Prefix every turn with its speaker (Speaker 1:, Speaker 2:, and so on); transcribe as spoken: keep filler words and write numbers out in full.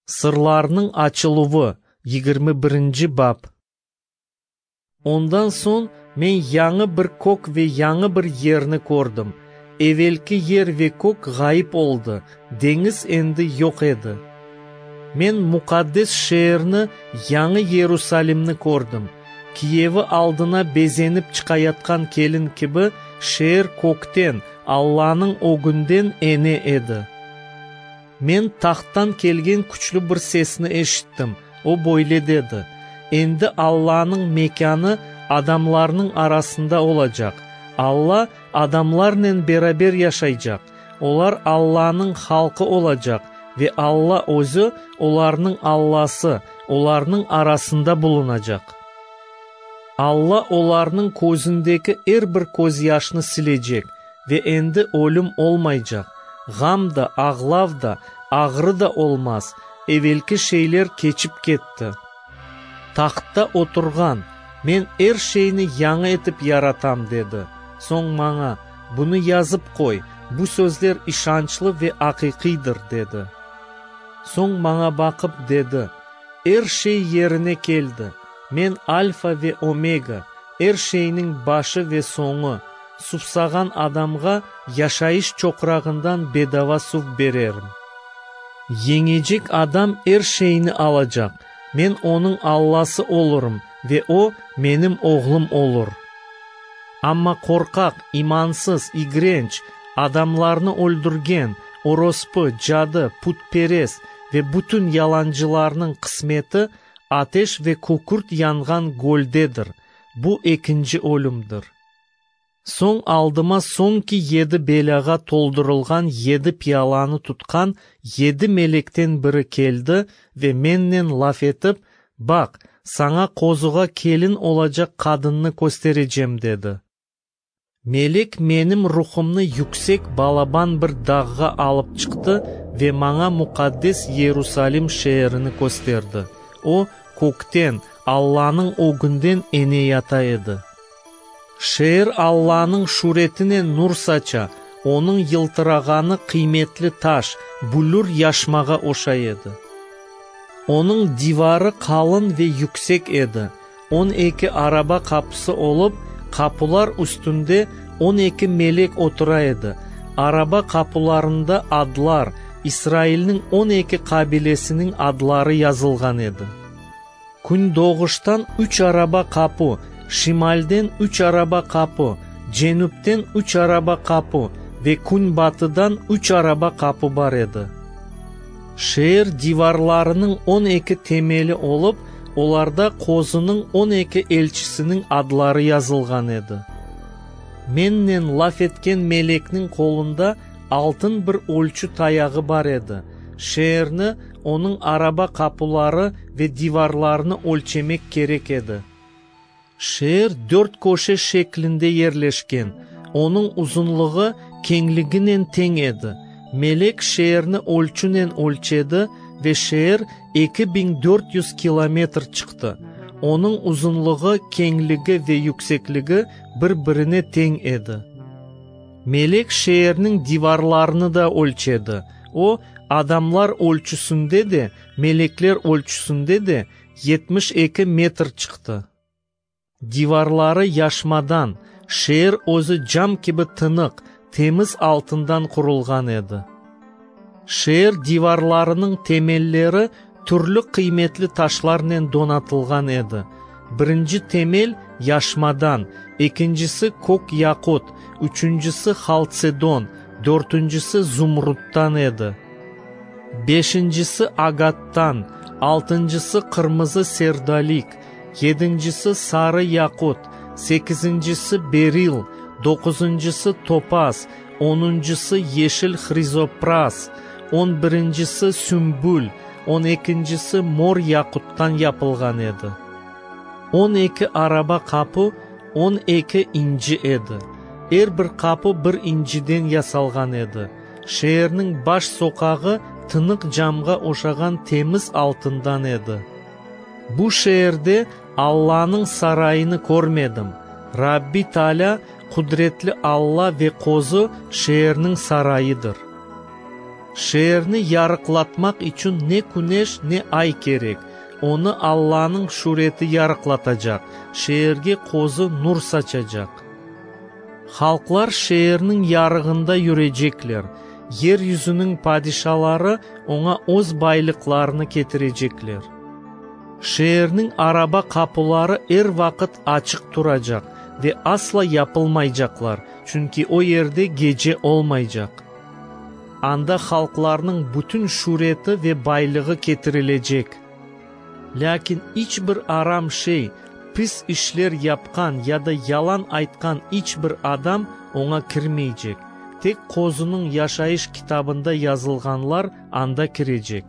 Speaker 1: Sırlarnıñ açıluvı, yigirmi birinci bap. Ondan soñ men yañı bir kök ve yañı bir yerni kördim. Evelki yer ve kök ğayıp oldı, deñiz endi yoq edi. Men muqaddes şeerni, yañı Yerusalimni kördim. Kiyevi aldına bezenip çıqayatqan kelin kibi, şeer kökten, Allanıñ ögünden ene edi. Men tahttan kelgen küçlü bir sesni eşittim. O böyle dedi: Endi Allanıñ mekânı adamlarnıñ arasında olacaq. Alla adamlarnen beraber yaşaycaq. Olar Allanıñ halqı olacaq ve Alla özü, olarnıñ Allası, olarnıñ arasında bulunacaq. Alla olarnıñ közündeki er bir közyaşnı silecek ve endi ölüm olmaycaq. Ğam da, ağlav da, ağrı da olmaz. Evelki şeyler keçip ketti. Tahtta oturğan, Men er şeyni yañı etip yaratam, dedi. Soñ maña, Bunı yazıp qoy, bu sözler işançlı ve aqiqiydir, dedi. Soñ maña baqıp dedi, Er şey yerine keldi. Men Alfa ve Omega, er şeyniñ başı ve soñu. Suvsağan adamğa yaşayış çoqrağından bedava suv bererim. Yeñecek adam er şeyni alacaq. Men onıñ Allası olurım ve o, menim oğlum olur. Amma qorqaq, imansız, igrenç, adamlarnı öldürgen, orospu, cadı, putperest ve bütün yalancılarnıñ qısmeti ateş ve kükürt yanğan göldedir. Bu ekinci ölümdir. Soñ aldıma soñki yedi belâğa toldurılğan yedi piyalanı tutqan yedi melekten biri keldi ve mennen laf etip, Baq, saña Qozuğa kelin olacaq qadınnı kösterecem, dedi. Melek menim ruhumnı yüksek balaban bir dağğa alıp çıqtı ve maña muqaddes Yerusalim şeerini kösterdi. O, kökten, Allanıñ ögünden eneyata edi. Şeer Allanıñ şüretinen nur saça, onıñ yıltırağanı qıymetli taş, büllür yaşmağa oşay edi. Onıñ divarı qalın ve yüksek edi. On eki araba qapısı olıp, qapular üstünde on eki melek otura edi. Araba qapularında adlar, İsrailniñ on eki qabilesiniñ adları yazılğan edi. Kündoğuştan üç araba qapu, şimalden üç araba qapu, cenüpten üç araba qapu ve künbatıdan üç araba qapu bar edi. Şeer divarlarınıñ on eki temeli olıp, olarda Qozunıñ on eki elçisiniñ adları yazılğan edi. Mennen laf etken melekniñ qolunda altın bir ölçü tayağı bar edi. Şeerni, onıñ araba qapuları ve divarlarını ölçemek kerek edi. Şeer dört köşe şeklinde yerleşken, onıñ uzunlığı keñliginen teñ edi. Melek şeerni ölçünen ölçedi ve şeer eki biñ dört yüz kilometr çıqtı. Onıñ uzunlığı, keñligi ve yüksekligi bir-birine teñ edi. Melek şeerniñ divarlarını da ölçedi. O, adamlar ölçüsinde de, melekler ölçüsinde de yetmiş eki metr çıqtı. Divarları yaşmadan, şeer özü cam kibi tınıq, temiz altından qurulğan edi. Şeer divarlarınıñ temelleri türlü qıymetli taşlarnen donatılğan edi. Birinci temel yaşmadan, ekincisi kök yaqut, üçüncisi haltsedon, dörtüncisi zumruttan edi. Beşincisi agattan, altıncısı qırmızı serdolik, yedincisi sarı yaqut, sekizincisi beril, doquzuncısı topaz, onuncısı yeşil hrizopraz, on birincisi sümbül, on ekincisi mor yaquttan yapılğan edi. On eki araba qapu, on eki inci edi. Er bir qapu bir inciden yasalğan edi. Şeerniñ baş soqağı tınıq camğa oşağan temiz altından edi. Bu şeerde Allanıñ sarayını körmedim. Rabbi Taalâ, qudretli Alla ve Qozu şeerniñ sarayıdır. Şeerni yarıqlatmaq içün ne küneş, ne ay kerek. Onı Allanıñ şüreti yarıqlatacaq, şeerge Qozu nur saçacaq. Halqlar şeerniñ yarığında yürecekler, yer yüzüniñ padişaları oña öz baylıqlarını ketirecekler. Şeerniñ araba qapuları er vaqıt açıq turacaq ve asla yapılmaycaqlar, çünki o yerde gece olmaycaq. Anda halqlarnıñ bütün şüreti ve baylığı ketirilecek. Lâkin iç bir aram şey, pis işler yapqan ya da yalan aytqan iç bir adam oña kirmeycek. Tek Qozunıñ yaşayış kitabında yazılğanlar anda kirecek.